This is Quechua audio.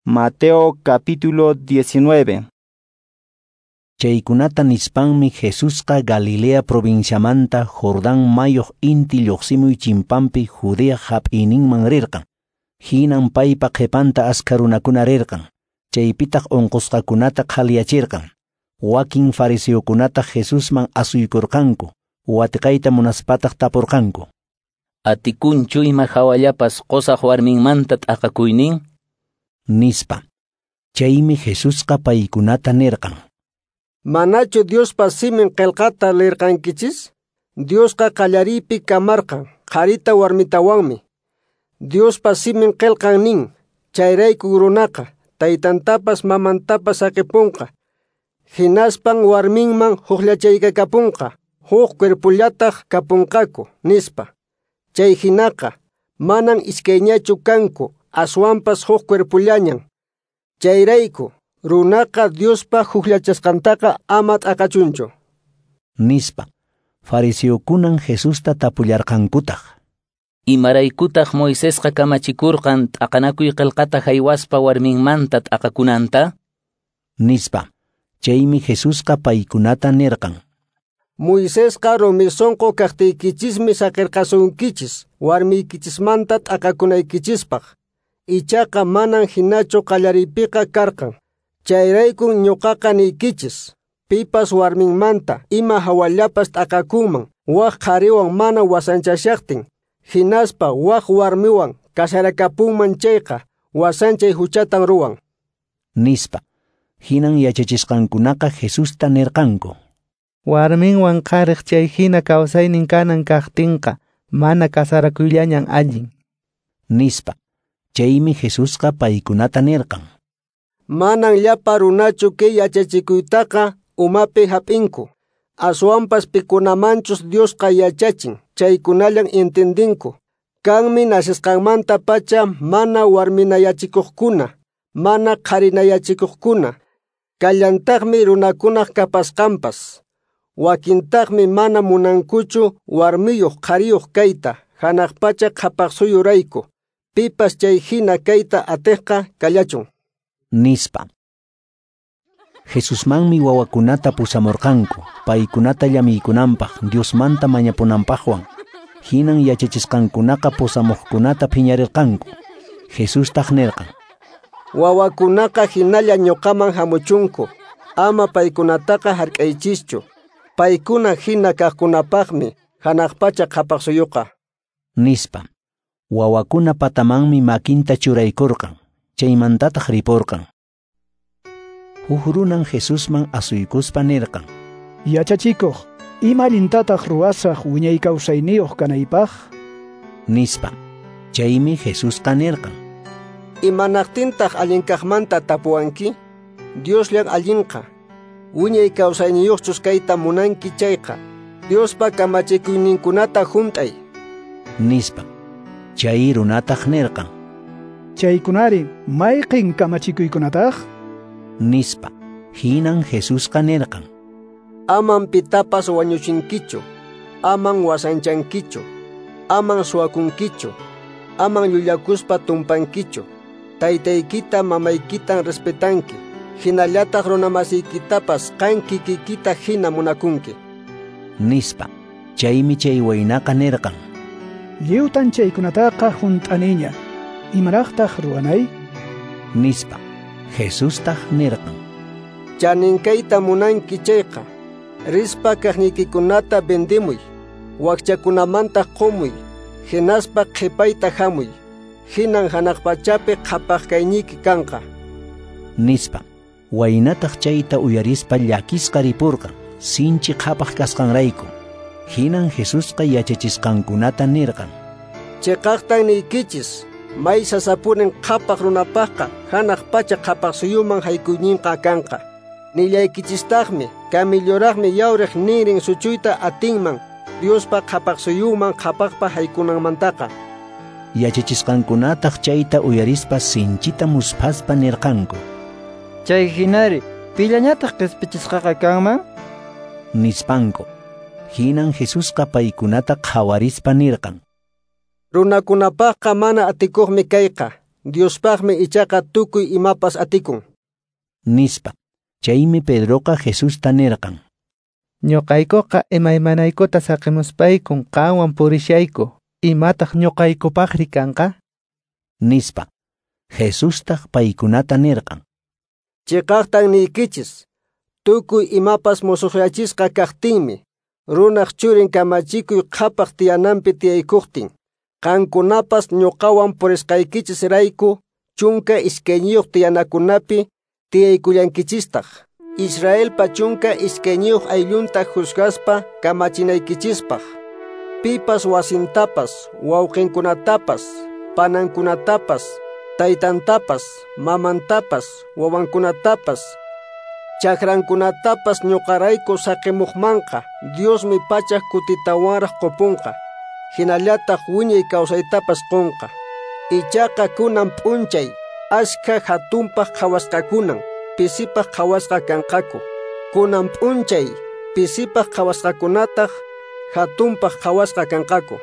Mateo capítulo 19. Chaykunata nispanmi Jesusqa Galilea provinciamanta Jordán mayuq inti lluqsimuy chimpanpi Judea hap'iyninman rirqan. Hinan paypa qhipanta askha runakuna rirqan. Chaypitaq unqusqakunata qhaliyachirqan. Wakin fariseokunataq Jesusman asuykurqanku, watiqayta munaspataq tapurqanku. Atikunchu ima hawallapas qusaq warminmanta t'aqakuynin? Nispa. Chaymi Jesusqa paykunata nirqan. Manachu Diospa simin qillqata lirqankichis? Diosqa qallariypi kamarqan, qharita warmitawanmi. Diospa simin qillqan nin, chayrayku runaqa taytantapas mamantapas saqipunqa. Hinaspan warminman hukllachaykakapunqa, huk cuerpullataq kapunqaku, nispa. Chay hinaqa, manan iskayñachu kanku, aswanpas huk cuerpullañan. Chayrayku, runaqa Diospa hukllachasqantaqa ama t'aqachunchu. Nispa. Fariseokunan Jesusta tapullarqankutaq. Imaraykutaq Moisesqa kamachikurqan t'aqanakuy qillqata haywaspa warminmanta t'aqakunanta? Nispa. Chaymi Jesusqa paykunata nirqan. Moisesqa rumi sunqu kaqtiykichismi saqirqasunkichis warmiykichismanta t'aqakunaykichispaq. Ichaqa manan hinachu qallariypiqa karqan. Chayraykun ñuqaqa niykichis, pipas warminmanta ima hawallapas t'aqakunman wak qhariwan mana wasanchashaqtin, hinaspa wak warmiwan kasarakapunman chayqa wasanchay huchatan ruwan. Nispa. Hinan yachachisqankunaqa Jesusta nirqanku. Warminwan qhariq chay hina kawsaynin kanan kaqtinqa mana kasarakuyllañan allin. Nispa. Chaymi Jesusqa paykunata nirqan. Manan llapa runachu kay yachachikuytaqa umapi hap'inku. Aswanpas pikunamanchus Diosqa yachachin, chaykunallan entendinku. Kanmi nacesqanmanta pacha mana warminayachikuqkuna, mana qharinayachikuqkuna. Kallantaqmi runakunaq kapasqanpas. Wakintaqmi mana munankuchu warmiyuq qhariyuq kayta, hanaq pacha qhapaq suyurayku. Pipas chay hina kayta atiqqa kallachun. Nispa. Jesusmanmi wawakunata pusamurqanku, paykunata llamiykunanpaq, Diosmanta mañapunanpaqwan. Hinan yachachisqankunaqa pusamuqkunata phiñarirqanku. Jesustaq nirqan. Wawakunaqa hinalla ñuqaman hamuchunku, ama paykunataqa hark'aychischu. Paykuna hina kaqkunapaqmi hanaq pacha qhapaq suyuqa. Nispa. Wawakuna patamanmi makinta churaykurqan, chaymantataq ripurqan. Huk runan Jesusman asuykuspa nirqan. Yachachikuq, ima allintataq ruwasaq wiñay kawsayniyuq kanaypaq? Nispa. Chaymi Jesusqa nirqan. Imanaqtintaq allinkaqmanta tapuwanki? Diosllan allinqa. Wiñay kawsayniyuqchus kayta munanki chayqa, Diospa kamachikuyninkunata hunt'ay. Nispa. Chay runataq nirqan. Chaykunari mayqin kamachikuykunataq? Nispa. Hinan Jesusqa nirqan. Aman pitapas wañuchinkichu, aman wasanchankichu, aman suwakunkichu, aman llullakuspa tumpankichu, taytaykita mamaykitan respetanki, hinallataq runamasiykitapas qan kikikita hina munakunki. Nispa. Chaymi chay waynaqa nirqan. Lliwtan chaykunataqa hunt'aniña. Imaraqtaq ruwanay? Nispa. Jesustaq nirqan. Chaninkayta munanki chayqa, rispa kaqniykikunata vendimuy, wakchakunamantaq qumuy, hinaspa qhipayta hamuy, hinan hanaq pachapi qhapaq kayniyki kanqa. Nispa. Waynataq chayta uyarispa llakisqa ripurqan, sinchi qhapaq kasqanrayku. Hinan Jesusqa yachachisqankunata nirqan. Chiqaqtan niykichis, may sasapunin qhapaq runapaqqa hanaq pacha qhapaq suyuman haykuyninqa kanqa. Nillaykichistaqmi, kamilluraqmi yawriq ninrin suchuyta atinman, Diospa qhapaq suyuman qhapaqpa haykunanmantaqa. Yachachisqankunataq chayta uyarispa sinchita musphaspa nirqanku. Chay hinari, pillañataq qispichisqaqa kanman? Nispanku. Hinan Jesusqa paykunata qhawarispa nirqan. Runakunapaqqa mana atikuqmi kayqa, Diospaqmi ichaqa tukuy imapas atikun. Nispa. Chaymi Pedroqa Jesusta nirqan: Ñuqaykuqa imaymanaykuta saqimuspaykun qanwan purishayku. Imataq ñuqaykupaqri kanqa? Nispa. Jesustaq paykunata nirqan: Chiqaqtan niykichis, tukuy imapas musuqyachisqa kaqtinmi, runaq churin kamachikuy qhapaq tiyananpi tiyaykuqtin, qankunapas ñuqawan purisqaykichis rayku 12 tiyanakunapi tiyaykullankichistaq, Israelpa 12 ayllunta juzgaspa kamachinaykichispaq. Pipas wasintapas, wawqinkunatapas, panankunatapas, taytantapas, mamantapas, wawankunatapas, chakrankunatapas ñuqarayku saqimuqmanqa, Diosmi pachak kutitawanraq qupunqa, hinallataq wiñay kawsaytapas qunqa. Ichaqa kunan p'unchay ashka hatunpaq qhawasqakunan pisipaq qhawasqa kanqaku. Kunan p'unchay pisipaq qhawasqakunataq hatunpaq qhawasqa kanqaku.